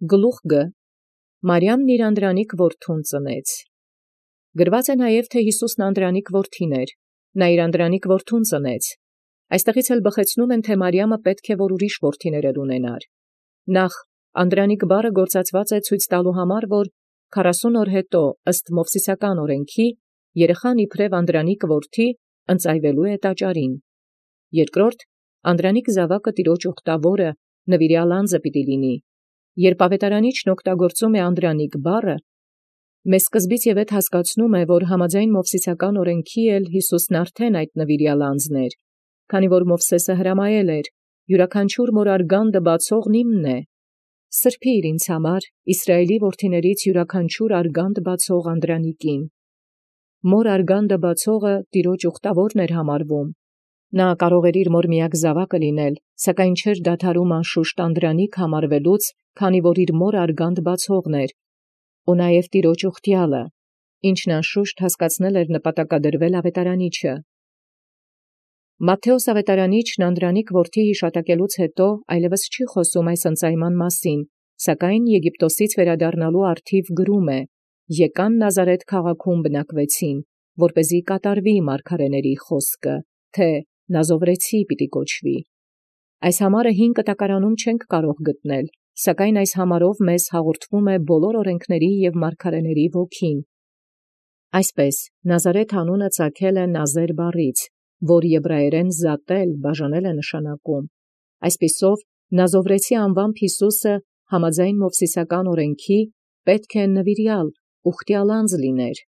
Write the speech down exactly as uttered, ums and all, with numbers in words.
Գլուխ Մարիամն իր անդրանիկ որդուն ծնեց։ Գրված է նաև, թէ Յիսուսն անդրանիկ որդին էր, նա իր անդրանիկ որդուն ծնեց։ Այստեղից էլ բխեցնում են, թէ Մարիամը պետք է որ ուրիշ որդիներ ունենար։ Նախ անդրանիկ բառը գործածված է ցույց տալու համար, որ քառասուն օր հետո ըստ Մովսիսական օրենքի երեխան իբրև անդրանիկ որդի ընծայվելու է տաճարին։ Երկրորդ անդրանիկ զաւակը տիրոջ ուխտավորը նվիրյալ անձը պիտի լինի։ Երբ ավետարանիչն օգտագործում է անդրանիկ բառը, մեզ սկզբից եւ ետ հասկացնում է, որ համաձայն Մովսիսական օրենքի էլ Յիսուսն արդեն այդ նվիրյալ անձն էր, քանի որ Մովսեսը հրամայել էր. յուրաքանչյուր մոր արգանդը բացողն իմն է։ Սրբի՛ր ինձ համար Իսրայելի որդիներից յուրաքանչյուր արգանդ բացող անդրանիկին։ Մոր արգանդը բացողը տիրոջ ուխտավորն էր համարվում։ Նա կարող էր իր մոր միակ զաւակը լինել, սակայն չէր դադարում անշուշտ անդրանիկ համարվելուց, քանի որ իր մոր արգանդ բացողն էր, ու նաև տիրոջ ուխտյալը, ինչն անշուշտ հասկացնել էր նպատակադրվել ավետարանիչը։ Մատթեոս ավետարանիչն անդրանիկ որդի յիշատակելուց հետո այլևս չի խոսում այս ընծայման մասին, սակայն Եգիպտոսից վերադառնալու առթիվ գրում է. «Եկան Նազարեթ քաղաքում բնակվեցին, որպեսզի կատարվի մարգարեների խոսքը, թէ Նազովրեցի պիտի կոչվի»։ Այս համարը հին կտակարանում չենք կարող գտնել, սակայն այս համարով մեզ հաղորդվում է բոլոր օրենքների և մարգարեների ոգին։ Այսպես Նազարեթ անունը ծագել է Նազեր բառից, որ եբրայերեն զատել, բաժանել է նշանակում։ Այսպիսով Նազովրեցի անվամբ Յիսուսը համաձայն Մովսիսական օրենքի պետք է նվիրյալ, ուխտյալ անձ լիներ։